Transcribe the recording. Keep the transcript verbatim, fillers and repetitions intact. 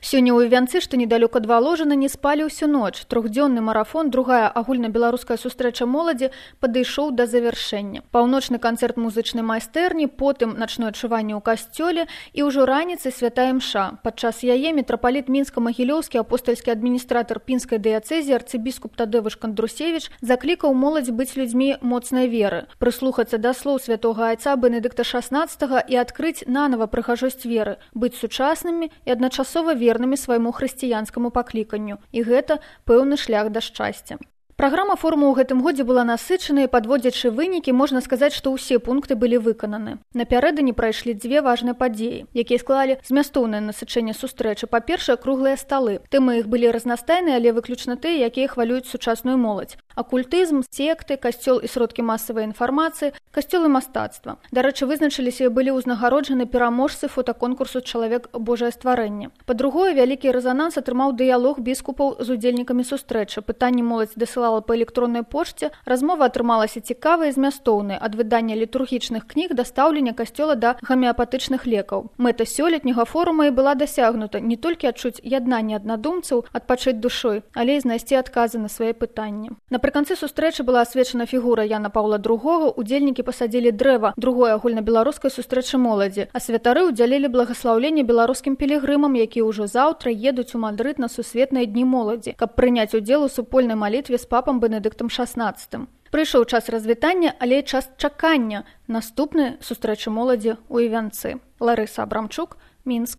Сёння ў Івянцы, што недалёк ад Валожына, не спалі ўсю ноч. Трохдзённы марафон, другая агульнабеларуская сустрэча моладзі падышоў да завяршэння. Паўночны канцэрт музычнай майстэрні, потым начное адчуванне ў касцёле і ўжо раніцай святая імша. Падчас яе мітрапаліт мінска-магілёўскі апостальскі адміністратар пінскай дыяцэзіі арцыбіскуп Тадэвыш Кандрусевіч заклікаў моладзь быць людзьмі моцнай веры, прыслухацца да слоў святога айца Бенедыкта шаснаццатага і адкрыць нанава прыгажосць веры, быць сучаснымі і адначасова вернымі вернымі свайму хрысціянскаму пакліканню. І гэта пэўны шлях да шчасця. Праграма форуму ў гэтым годзе была насычанай, падводзячы вынікі, можна сказаць, што ўсе пункты былі выкананы. Напярэдадні прайшлі дзве важныя падзеі, якія склалі змястоўнае насычэнне сустрэчы. Па-першае, круглыя сталы. Тэмы іх былі разнастайныя, але выключна тыя, якія хвалююць сучасную моладзь. Акультызм, секты, касцёл і сродкі масавай інфармацыі, касцёл і мастацтва. Дарэчы, вызначыліся і былі ўзнагароджаны пераможцы фотаконкурсу «Чалавек Божае стварэнне». Па-другое, вялікі рэзананс атрымаў дыялог біскупаў з удзельнікамі сустрэчы. Пытанні моладзь дасылала па электроннай пошце, размова атрымалася цікавай і змястоўнай, ад выдання літургічных кніг да стаўлення касцёла да гамеапатычных лекаў. Мэта сёлетняга форума і была дасягнута не толькі адчуць яднанне аднадумцаў, адпачыць душой, але і знайсці адказы на свае пытанні. Напрыканцы сустрэчы была асвечана фігура Яна Паўла другога, удзельнікі пасадзілі дрэва другой агульнабеларускай сустрэчы моладзі, а святары ўдзялілі благаслаўленне беларускім пілігрымам, якія ўжо заўтра едуць у Мадрыд на сусветныя дні моладзі, каб прыняць удзел у супольнай малітве з папам Бенедыктам шаснаццатым. Прыйшоў час развітання, але і час чакання наступнай сустрэчы моладзі ў Івянцы. Ларыса Абрамчук, Мінск.